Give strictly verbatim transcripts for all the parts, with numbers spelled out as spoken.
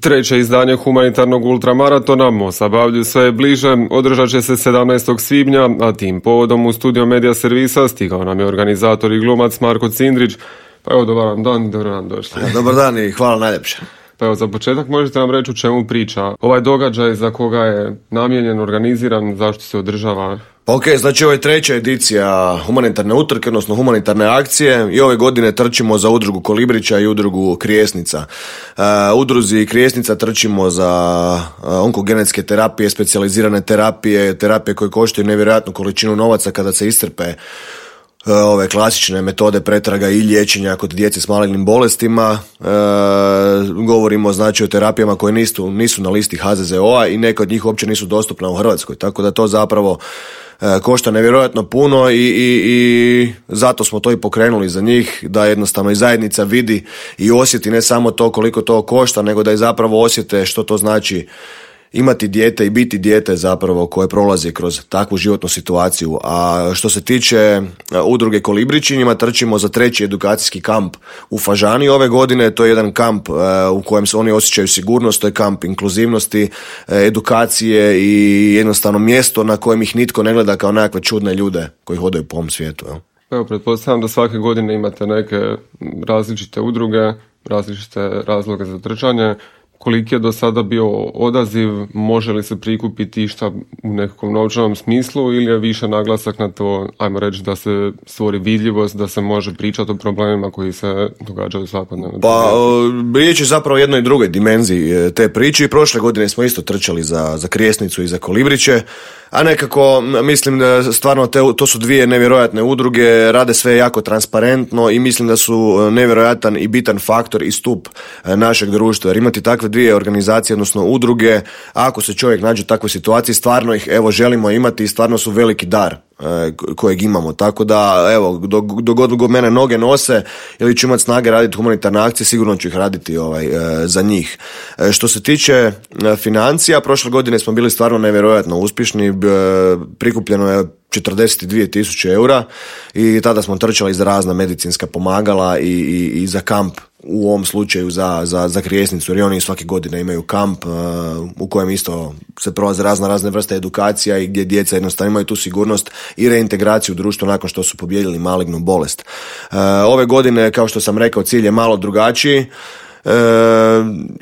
Treće izdanje humanitarnog ultramaratona Mosabavlju sve je bliže, održat će se sedamnaestog svibnja, a tim povodom u studio Medija servisa stigao nam je organizator i glumac Marko Cindrić. Pa evo, dobar vam dan, dobro nam došli. Dobar dan i hvala najljepše. Pa evo, za početak možete nam reći u čemu priča ovaj događaj, za koga je namijenjen, organiziran, zašto se održava? Ok, znači ovo je treća edicija humanitarne utrke, odnosno humanitarne akcije i ove godine trčimo za udrugu Kolibrića i udrugu Krijesnica. Uh, udruzi Krijesnica trčimo za uh, onkogenetske terapije, specijalizirane terapije, terapije koje koštaju nevjerojatnu količinu novaca kada se iscrpe ove klasične metode pretraga i liječenja kod djece s malignim bolestima. E, govorimo znači o terapijama koje nisu, nisu na listi H Z Z O-a i neke od njih uopće nisu dostupne u Hrvatskoj, tako da to zapravo e, košta nevjerojatno puno i, i, i zato smo to i pokrenuli za njih, da jednostavno i zajednica vidi i osjeti ne samo to koliko to košta, nego da i zapravo osjete što to znači imati dijete i biti dijete zapravo koje prolazi kroz takvu životnu situaciju. A što se tiče udruge Kolibrići, njima trčimo za treći edukacijski kamp u Fažani ove godine. To je jedan kamp u kojem se oni osjećaju sigurnost, to je kamp inkluzivnosti, edukacije i jednostavno mjesto na kojem ih nitko ne gleda kao nekakve čudne ljude koji hodaju po ovom svijetu. Jel? Evo, pretpostavljam da svake godine imate neke različite udruge, različite razloge za trčanje. Koliki je do sada bio odaziv, može li se prikupiti išta u nekakvom novčanom smislu ili je više naglasak na to, ajmo reći, da se stvori vidljivost, da se može pričati o problemima koji se događaju svakodnevno? Pa, riječ je zapravo o jednoj drugoj dimenziji te priče i prošle godine smo isto trčali za, za Krijesnicu i za Kolibriće, a nekako mislim da stvarno te, to su dvije nevjerojatne udruge, rade sve jako transparentno i mislim da su nevjerojatan i bitan faktor i stup našeg društva, jer imati takve dvije organizacije, odnosno udruge, ako se čovjek nađe u takvoj situaciji, stvarno ih evo želimo imati i stvarno su veliki dar kojeg imamo, tako da evo dok, dok god mene noge nose ili ću imati snage raditi humanitarne akcije, sigurno ću ih raditi ovaj, za njih. Što se tiče financija, prošle godine smo bili stvarno nevjerojatno uspješni, prikupljeno je četrdeset dvije tisuće eura i tada smo trčali za razna medicinska pomagala i, i, i za kamp, u ovom slučaju za, za, za Krijesnicu, jer oni svake godine imaju kamp uh, u kojem isto se prolaze razna razne vrste edukacija i gdje djeca jednostavno imaju tu sigurnost i reintegraciju u društvu nakon što su pobijedili malignu bolest. Uh, ove godine, kao što sam rekao, cilj je malo drugačiji. E,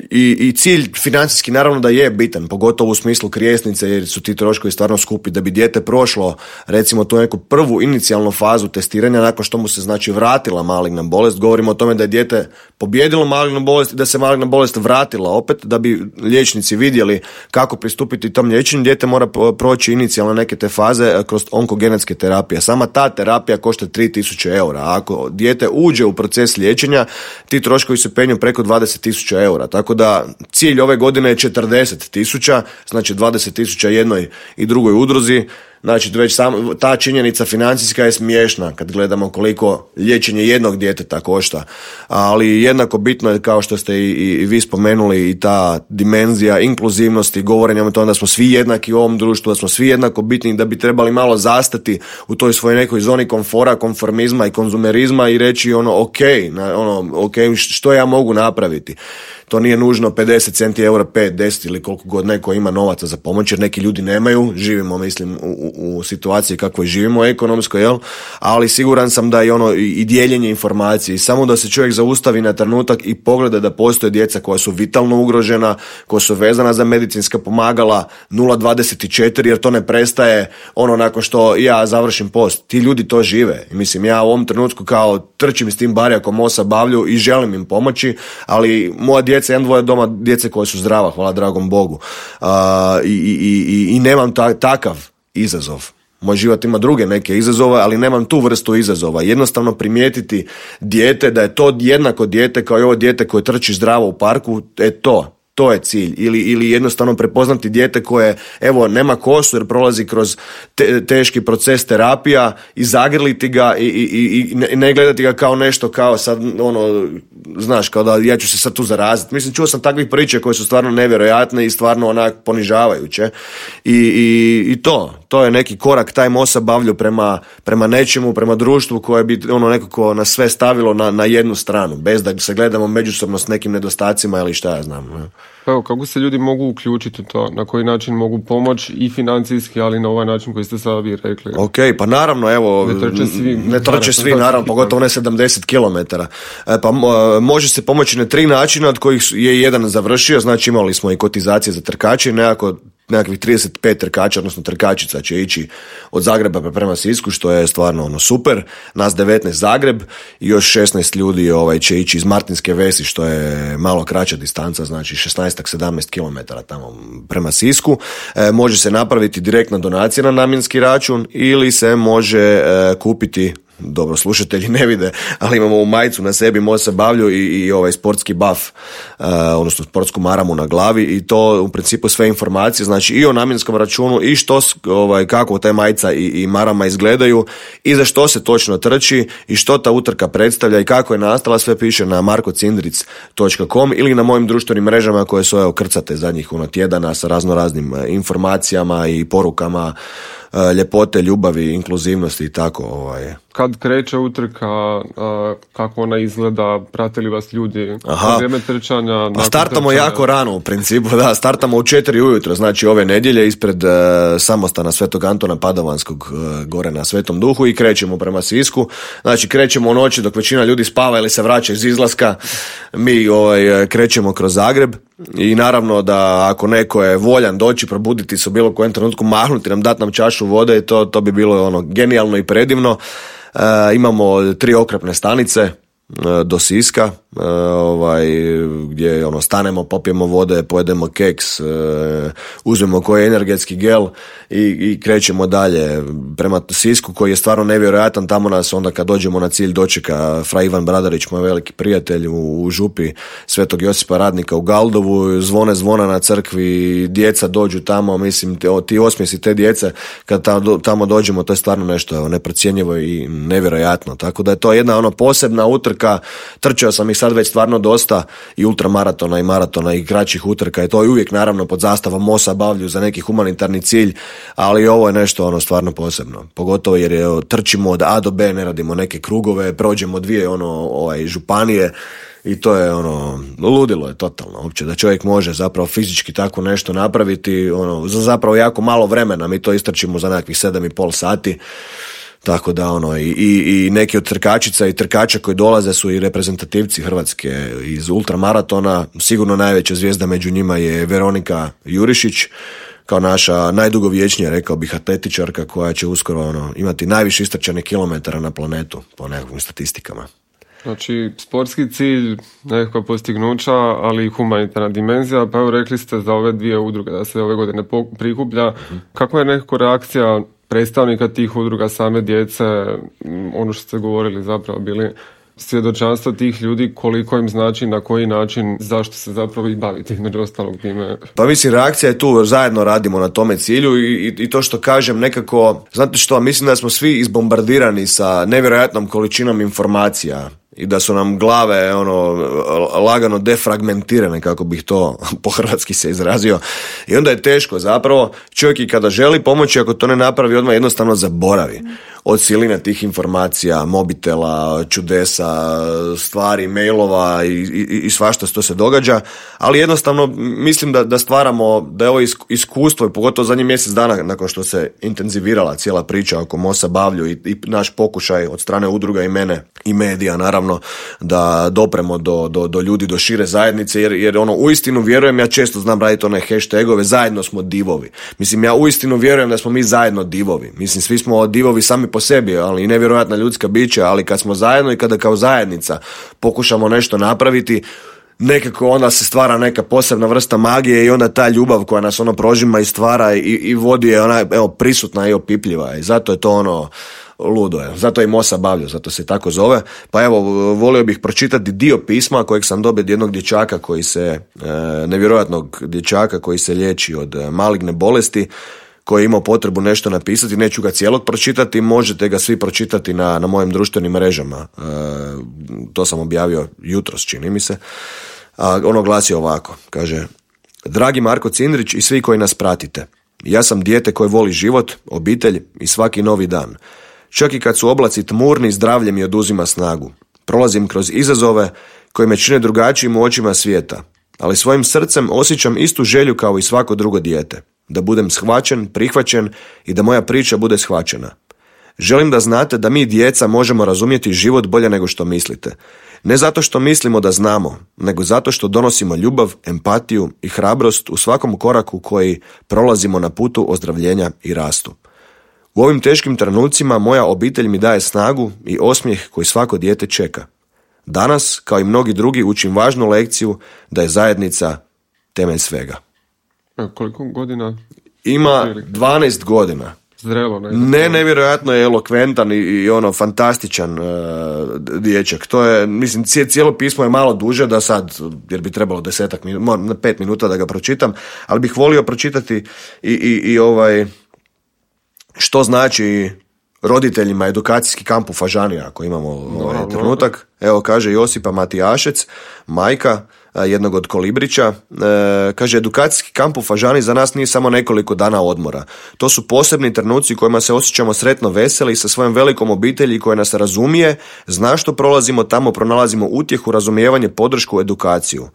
i, i cilj financijski naravno da je bitan, pogotovo u smislu Krijesnice, jer su ti troškovi stvarno skupi. Da bi dijete prošlo recimo tu neku prvu inicijalnu fazu testiranja nakon što mu se znači vratila maligna bolest, govorimo o tome da je dijete pobijedilo malignu bolest i da se maligna bolest vratila opet, da bi liječnici vidjeli kako pristupiti tom liječenju. Dijete mora proći inicijalno neke te faze kroz onkogenetske terapije. Sama ta terapija košta tri tisuće eura, a ako dijete uđe u proces liječenja, ti troškovi se penju preko dvadeset tisuća eura, tako da cilj ove godine je četrdeset tisuća, znači dvadeset tisuća jednoj i drugoj udruzi. Znači, već sam, ta činjenica financijska je smiješna kad gledamo koliko liječenje jednog djeteta košta, ali jednako bitno je, kao što ste i, i vi spomenuli, i ta dimenzija inkluzivnosti, govorenja o tome da smo svi jednaki u ovom društvu, da smo svi jednako bitni, da bi trebali malo zastati u toj svojoj nekoj zoni komfora, konformizma i konzumerizma i reći ono ok, na, ono, ok, što ja mogu napraviti. To nije nužno pedeset centi eura, pet, deset ili koliko god neko ima novaca za pomoć, jer neki ljudi nemaju, živimo mislim u, u, u situaciji kakvoj živimo ekonomsko, jel? Ali siguran sam da i ono i dijeljenje informacije i samo da se čovjek zaustavi na trenutak i pogleda da postoje djeca koja su vitalno ugrožena, koja su vezana za medicinska pomagala nula dvadeset četiri, jer to ne prestaje ono nakon što ja završim post. Ti ljudi to žive. I mislim, ja u ovom trenutku kao trčim s tim barjakom Mosabavlju i želim im pomoći, ali moja djeca, jedan dvoje doma djece koje su zdrava, hvala dragom Bogu. Uh, i, i, i, i nemam ta, takav izazov. Moj život ima druge neke izazove, ali nemam tu vrstu izazova. Jednostavno primijetiti dijete, da je to jednako dijete kao i ovo dijete koje trči zdravo u parku, e to. To je cilj. Ili, ili jednostavno prepoznati dijete koje, evo, nema kosu jer prolazi kroz te, teški proces terapija i zagrliti ga i, i, i ne gledati ga kao nešto kao sad, ono, znaš, kao da ja ću se sad tu zaraziti. Mislim, čuo sam takvih priča koje su stvarno nevjerojatne i stvarno onak ponižavajuće. I, i, i to, to je neki korak, taj Mosabavlju prema, prema nečemu, prema društvu koje bi ono nekako nas sve stavilo na, na jednu stranu, bez da se gledamo međusobno s nekim nedostacima ili šta ja znam. Ne? Pa evo, kako se ljudi mogu uključiti u to? Na koji način mogu pomoći i financijski, ali na ovaj način koji ste sada vi rekli? Ok, pa naravno, evo, ne trče svi, ne trče svi naravno, pogotovo ne sedamdeset kilometara. E, pa može se pomoći na tri načina, od kojih je jedan završio, znači imali smo i kotizacije za trkače, nekako nekakvih trideset pet trkača, odnosno trkačica će ići od Zagreba prema Sisku, što je stvarno ono super. Nas devetnaest Zagreb i još šesnaest ljudi ovaj, će ići iz Martinske Vesi, što je malo kraća distanca, znači šesnaest sedamnaest kilometara tamo prema Sisku. E, može se napraviti direktna donacija na namjenski račun ili se može e, kupiti, dobro, slušatelji ne vide, ali imamo u majicu na sebi Mosa Bavlju i, i ovaj sportski buff, uh, odnosno sportsku maramu na glavi, i to u principu sve informacije, znači i o namjenskom računu i što, ovaj, kako ta majica i, i marama izgledaju i za što se točno trči i što ta utrka predstavlja i kako je nastala, sve piše na marko cindric točka com ili na mojim društvenim mrežama koje su evo krcate zadnjih ono, tjedana sa razno raznim informacijama i porukama ljepote, ljubavi, inkluzivnosti i tako. Ovaj. Kad kreće utrka, kako ona izgleda, prate li vas ljudi na vrijeme trčanja? Pa startamo trčanja? Jako rano u principu, da, startamo u četiri ujutro, znači ove nedjelje ispred uh, samostana Svetog Antona Padovanskog uh, gore na Svetom Duhu i krećemo prema Sisku. Znači krećemo u noći dok većina ljudi spava ili se vraća iz izlaska, mi ovaj, krećemo kroz Zagreb i naravno da ako neko je voljan doći, probuditi se u bilo kojem trenutku, mahnuti nam, dati nam čašu vode, to, to bi bilo ono genijalno i predivno. E, imamo tri okrepne stanice e, do Siska, e, ovaj, gdje ono, stanemo, popijemo vode, pojedemo keks, e, uzmemo koji energetski gel i, i krećemo dalje prema Sisku koji je stvarno nevjerojatan. Tamo nas onda kad dođemo na cilj dočeka fra Ivan Bradarić, moj veliki prijatelj, u, u župi Svetog Josipa Radnika u Galdovu, zvone zvona na crkvi, djeca dođu tamo, mislim te, o, ti osmijesi te djece kad tamo, tamo dođemo, to je stvarno nešto evo, neprocjenjivo i nevjerojatno, tako da je to jedna ono posebna utrka. Trčao sam ih sad već stvarno dosta i ultramaratona i maratona i kraćih utrka i to je uvijek naravno pod zastavom Mosa Bavlju za neki humanitarni cilj, ali ovo je nešto ono stvarno posebno, pogotovo jer je, trčimo od A do B, ne radimo neke krugove, prođemo dvije ono ovaj županije i to je ono ludilo je totalno uopće da čovjek može zapravo fizički tako nešto napraviti ono za zapravo jako malo vremena. Mi to istrčimo za nekakvih sedam i pol sati. Tako da ono i, i, i neki od trkačica i trkača koji dolaze su i reprezentativci Hrvatske iz ultramaratona. Sigurno najveća zvijezda među njima je Veronika Jurišić, kao naša najdugovječnija, rekao bih, atletičarka koja će uskoro ono, imati najviše istrčane kilometara na planetu po nekakvim statistikama. Znači, sportski cilj, nekakva postignuća, ali i humanitarna dimenzija, pa evo rekli ste za ove dvije udruge da se ove godine prikuplja. Uh-huh. Kakva je nekako reakcija predstavnika tih udruga, same djece, ono što ste govorili zapravo bili svjedočanstva tih ljudi, koliko im znači, na koji način, zašto se zapravo i baviti između ostalog time? Pa mislim, reakcija je tu, zajedno radimo na tome cilju i, i, i to što kažem nekako, znate što, mislim da smo svi izbombardirani sa nevjerojatnom količinom informacija i da su nam glave ono lagano defragmentirane, kako bih to po hrvatski se izrazio, i onda je teško zapravo. Čovjek i kada želi pomoći, ako to ne napravi odmah, jednostavno zaboravi od siline tih informacija, mobitela, čudesa, stvari, mailova i, i, i svašta što se događa, ali jednostavno mislim da, da stvaramo, da je ovo iskustvo i pogotovo zadnjih mjesec dana nakon što se intenzivirala cijela priča oko Mosa Bavlju i, i naš pokušaj od strane udruga i mene i medija naravno da dopremo do, do, do ljudi, do šire zajednice, jer, jer ono uistinu vjerujem, ja često znam raditi one hashtagove, zajedno smo divovi. Mislim, ja uistinu vjerujem da smo mi zajedno divovi. Mislim, svi smo divovi sami po sebi, ali i nevjerojatna ljudska bića, ali kad smo zajedno i kada kao zajednica pokušamo nešto napraviti, nekako onda se stvara neka posebna vrsta magije i onda ta ljubav koja nas ono prožima i stvara i, i vodi je ona evo prisutna i opipljiva i zato je to ono ludo je. Zato je i Mosa Bavlju, zato se tako zove. Pa evo, volio bih pročitati dio pisma kojeg sam dobio od jednog dječaka koji se, e, nevjerojatnog dječaka koji se liječi od maligne bolesti, koji je imao potrebu nešto napisati. Neću ga cijelog pročitati, možete ga svi pročitati na, na mojim društvenim mrežama. E, to sam objavio jutros, čini mi se. A ono glasi ovako, kaže: Dragi Marko Cindrić i svi koji nas pratite, ja sam dijete koje voli život, obitelj i svaki novi dan. Čak i kad su oblaci tmurni, zdravlje mi oduzima snagu. Prolazim kroz izazove koji me čine drugačijim u očima svijeta. ali svojim srcem osjećam istu želju kao i svako drugo dijete. Da budem shvaćen, prihvaćen i da moja priča bude shvaćena. Želim da znate da mi djeca možemo razumjeti život bolje nego što mislite. Ne zato što mislimo da znamo, nego zato što donosimo ljubav, empatiju i hrabrost u svakom koraku koji prolazimo na putu ozdravljenja i rastu. U ovim teškim trenucima moja obitelj mi daje snagu i osmijeh koji svako dijete čeka. Danas, kao i mnogi drugi, učim važnu lekciju da je zajednica temelj svega. A koliko godina? Ima dvanaest godina. Zrelo, ne? Ne, nevjerojatno je elokventan i, i ono fantastičan uh, dječak. To je, mislim, cijelo pismo je malo duže da sad, jer bi trebalo desetak minuta, pet minuta da ga pročitam, ali bih volio pročitati i, i, i ovaj, što znači roditeljima edukacijski kamp u Fažani, ako imamo ovaj no, trenutak. No. Evo, kaže Josipa Matijašec, majka jednog od Kolibrića, e, kaže, edukacijski kamp u Fažani za nas nije samo nekoliko dana odmora. To su posebni trenuci u kojima se osjećamo sretno veseli i sa svojom velikom obitelji koja nas razumije, zna što prolazimo, tamo pronalazimo utjehu, razumijevanje, podršku, edukaciju.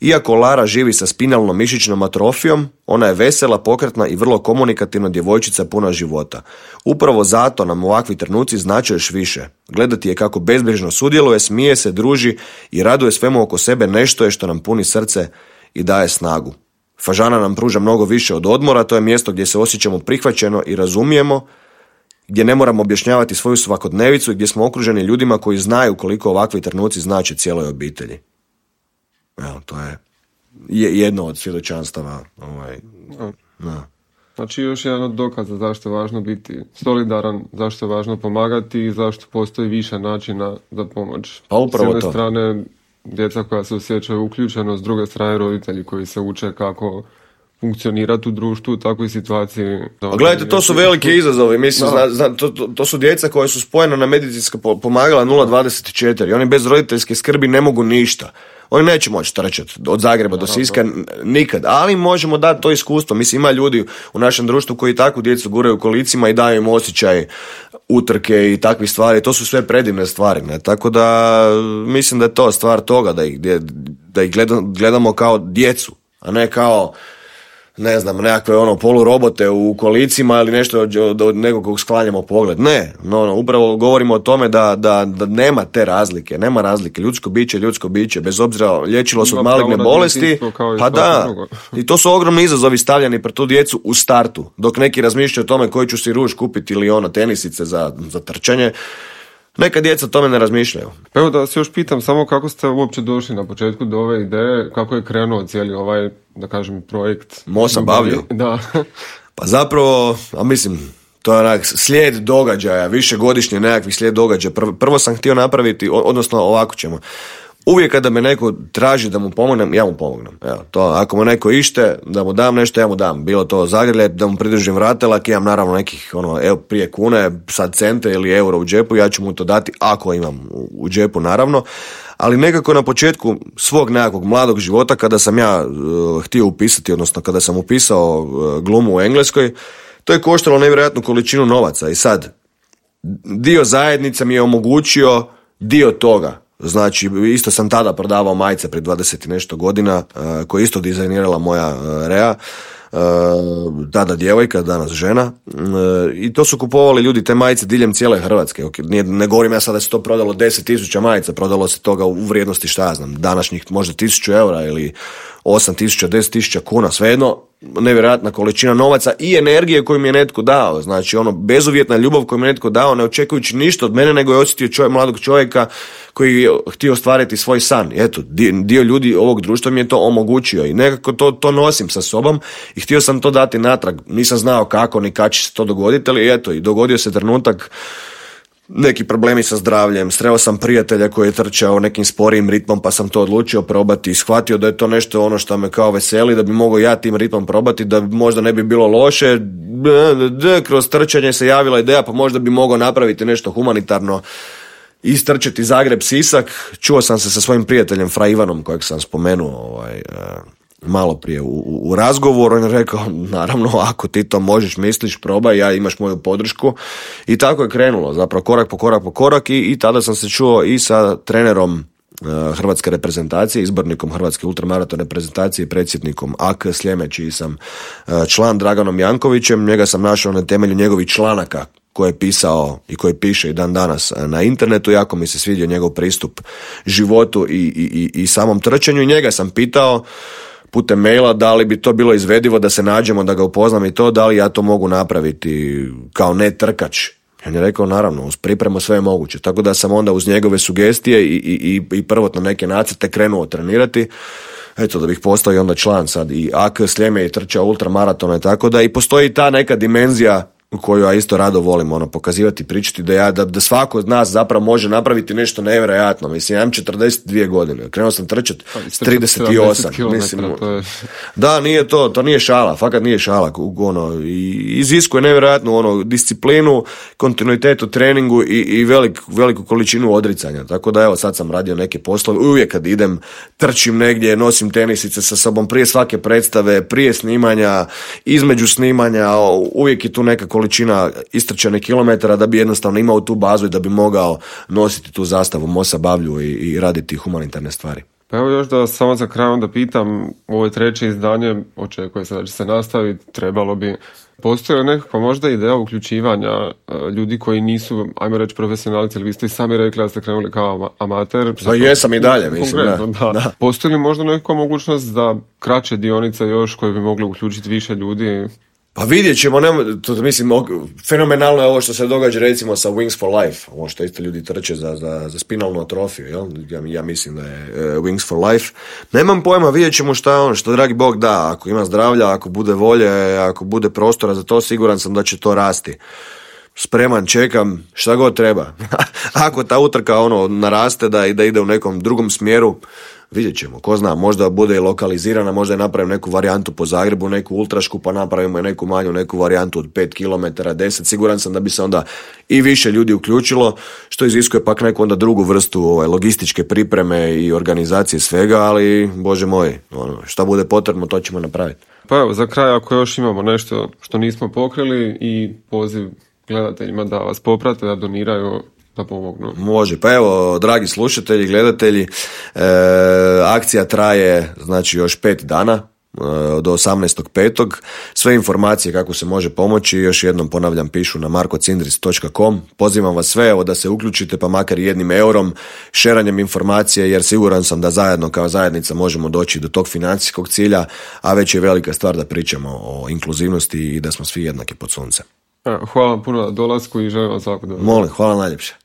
Iako Lara živi sa spinalnom mišićnom atrofijom, ona je vesela, pokretna i vrlo komunikativna djevojčica puna života. Upravo zato nam ovakvi trenuci znače još više. Gledati je kako bezbrižno sudjeluje, smije se, druži i raduje svemu oko sebe, nešto je što nam puni srce i daje snagu. Fažana nam pruža mnogo više od odmora, to je mjesto gdje se osjećamo prihvaćeno i razumijemo, gdje ne moramo objašnjavati svoju svakodnevicu i gdje smo okruženi ljudima koji znaju koliko ovakvi trenuci znače cijeloj obitelji. Evo, to je jedno od svjedočanstava. Ovaj, da. Znači još jedan od dokaza zašto je važno biti solidaran, zašto je važno pomagati i zašto postoji više načina za pomoć. Pa upravo s jedne to. strane djeca koja se osjećaju uključeno, s druge strane roditelji koji se uče kako funkcionirati u društvu u takvoj situaciji. A gledajte, to su veliki izazovi. Mislim, zna, zna, to, to, to su djeca koja su spojena na medicinska pomagala nula dvadeset četiri. Oni bez roditeljske skrbi ne mogu ništa. Oni neće moći trčati od Zagreba do Siska nikad, ali možemo dati to iskustvo. Mislim, ima ljudi u našem društvu koji takvu djecu guraju u kolicima i daju im osjećaj utrke i takvih stvari. To su sve predivne stvari. Ne? Tako da mislim da je to stvar toga da ih, da ih gledamo kao djecu, a ne kao, ne znam, nekakve ono polurobote u kolicima ili nešto od, od, od nekog kog sklanjamo pogled. Ne, no, no, upravo govorimo o tome da, da, da nema te razlike, nema razlike. Ljudsko biće, ljudsko biće, bez obzira liječilo se od maligne bolesti, pa da, i to su ogromni izazovi stavljeni pred tu djecu u startu, dok neki razmišljaju o tome koji ću si ruž kupiti ili ono tenisice za, za trčanje. Neka djeca o tome ne razmišljaju. Evo da se još pitam samo kako ste uopće došli na početku do ove ideje, kako je krenuo cijeli ovaj, da kažem, projekt. Mosa bavlja. Da. Pa zapravo, a mislim, to je onak slijed događaja, višegodišnji nekakvi slijed događaja. Prvo, prvo sam htio napraviti, odnosno ovako ćemo. Uvijek kada me neko traži da mu pomognem, ja mu pomognem. Evo, to, ako mu neko ište, da mu dam nešto, ja mu dam. Bilo to zagrljaj, da mu pridržim vratelak, imam naravno nekih, ono, evo, prije kune, sad cente ili euro u džepu, ja ću mu to dati ako imam u, u džepu, naravno. Ali nekako na početku svog nekakvog mladog života, kada sam ja uh, htio upisati, odnosno kada sam upisao uh, glumu u Engleskoj, to je koštalo nevjerojatnu količinu novaca. I sad, dio zajednica mi je omogućio dio toga. Znači, isto sam tada prodavao majice prije dvadeset i nešto godina, uh, koje isto dizajnirala moja uh, Rea, uh, tada djevojka, danas žena, uh, i to su kupovali ljudi te majice diljem cijele Hrvatske. Okay, nije, ne govorim ja sada da se to prodalo deset tisuća majica, prodalo se toga u vrijednosti, šta ja znam, današnjih možda tisuću eura ili osam tisuća, deset tisuća kuna, svejedno, nevjerojatna količina novaca i energije koju mi je netko dao. Znači, ono, bezuvjetna ljubav koju mi je netko dao, ne očekujući ništa od mene, nego je osjetio čovjek, mladog čovjeka koji je htio ostvariti svoj san. Eto, dio ljudi ovog društva mi je to omogućio i nekako to, to nosim sa sobom i htio sam to dati natrag. Nisam znao kako ni kad će se to dogoditi, ali eto, i dogodio se trenutak, neki problemi sa zdravljem, sreo sam prijatelja koji je trčao nekim sporijim ritmom, pa sam to odlučio probati i shvatio da je to nešto ono što me kao veseli, da bi mogao ja tim ritmom probati, da možda ne bi bilo loše. Kroz trčanje se javila ideja, pa možda bi mogao napraviti nešto humanitarno, istrčati Zagreb-Sisak. Čuo sam se sa svojim prijateljem Fra Ivanom, kojeg sam spomenuo ovaj, malo prije u, u, u razgovoru. On je rekao, naravno, ako ti to možeš, misliš, probaj, ja imaš moju podršku. I tako je krenulo, zapravo korak po korak po korak i, i tada sam se čuo i sa trenerom hrvatske reprezentacije, izbornikom hrvatske ultramaraton reprezentacije i predsjednikom A K Sljeme, čiji sam član, Draganom Jankovićem. Njega sam našao na temelju njegovih članaka koje je pisao i koje piše i dan danas na internetu. Jako mi se svidio njegov pristup životu i, i, i samom trčanju i njega sam pitao putem maila da li bi to bilo izvedivo da se nađemo, da ga upoznam i to, da li ja to mogu napraviti kao ne trkač. On je rekao naravno, uz pripremu sve je moguće. Tako da sam onda uz njegove sugestije i, i, i prvotno neke nacrte krenuo trenirati. Eto, da bih postao i onda član sad i A K Sljeme i trčao ultramaratone, tako da i postoji ta neka dimenzija koju ja isto rado volim ono, pokazivati, pričati, da, ja, da, da svako od nas zapravo može napraviti nešto nevjerojatno. Mislim, ja imam četrdeset dvije godine, krenuo sam trčati s trideset osam. Mislim, je... Da, nije to, to nije šala, fakat nije šala. Ono, i iziskuje nevjerojatnu ono, disciplinu, kontinuitet u treningu i, i velik, veliku količinu odricanja. Tako da evo, sad sam radio neke poslove, uvijek kad idem, trčim negdje, nosim tenisice sa sobom prije svake predstave, prije snimanja, između snimanja, uvijek je tu neka količina istrčane kilometara da bi jednostavno imao tu bazu i da bi mogao nositi tu zastavu Mosa Bavlju i, i raditi humanitarne stvari. Pa evo još da samo za kraj onda pitam, ovo je treće izdanje, očekuje se da će se nastaviti, trebalo bi, postoji li nekakva možda ideja uključivanja ljudi koji nisu, ajmo reći, profesionalci, ili vi ste i sami rekli da ste krenuli kao amater? Pa jesam i dalje, mislim, da. da. da. Postoji li možda nekakva mogućnost da kraće dionice još koje bi mogli uključiti više ljudi? Pa vidjet ćemo, ne, to, mislim, fenomenalno je ovo što se događa recimo sa Wings for Life, ovo što isto ljudi trče za, za, za spinalnu atrofiju, jel? Ja, ja mislim da je uh, Wings for Life. Nemam pojma, vidjet ćemo šta je ono, što dragi Bog da, ako ima zdravlja, ako bude volje, ako bude prostora za to, siguran sam da će to rasti. Spreman, čekam, šta god treba. Ako ta utrka ono naraste da, da ide u nekom drugom smjeru, vidjet ćemo, ko zna, možda bude i lokalizirana, možda je napravim neku varijantu po Zagrebu, neku ultrašku, pa napravimo i neku manju, neku varijantu od pet kilometara, deset, siguran sam da bi se onda i više ljudi uključilo, što iziskuje pak neku onda drugu vrstu ovaj, logističke pripreme i organizacije svega, ali, Bože moj, ono, šta bude potrebno, to ćemo napraviti. Pa evo, za kraj, ako još imamo nešto što nismo pokrili i poziv gledateljima da vas poprate, da doniraju, da pomognu. Može, pa evo, dragi slušatelji, gledatelji, e, akcija traje znači još pet dana, e, do osamnaestog petog Sve informacije kako se može pomoći, još jednom ponavljam, pišu na marko cindris točka com. Pozivam vas sve, evo, da se uključite, pa makar jednim eurom, šeranjem informacije, jer siguran sam da zajedno kao zajednica možemo doći do tog financijskog cilja, a već je velika stvar da pričamo o inkluzivnosti i da smo svi jednaki pod suncem. Hvala vam puno na dolasku i želim vam svako dobro. Molim, hvala najljepše.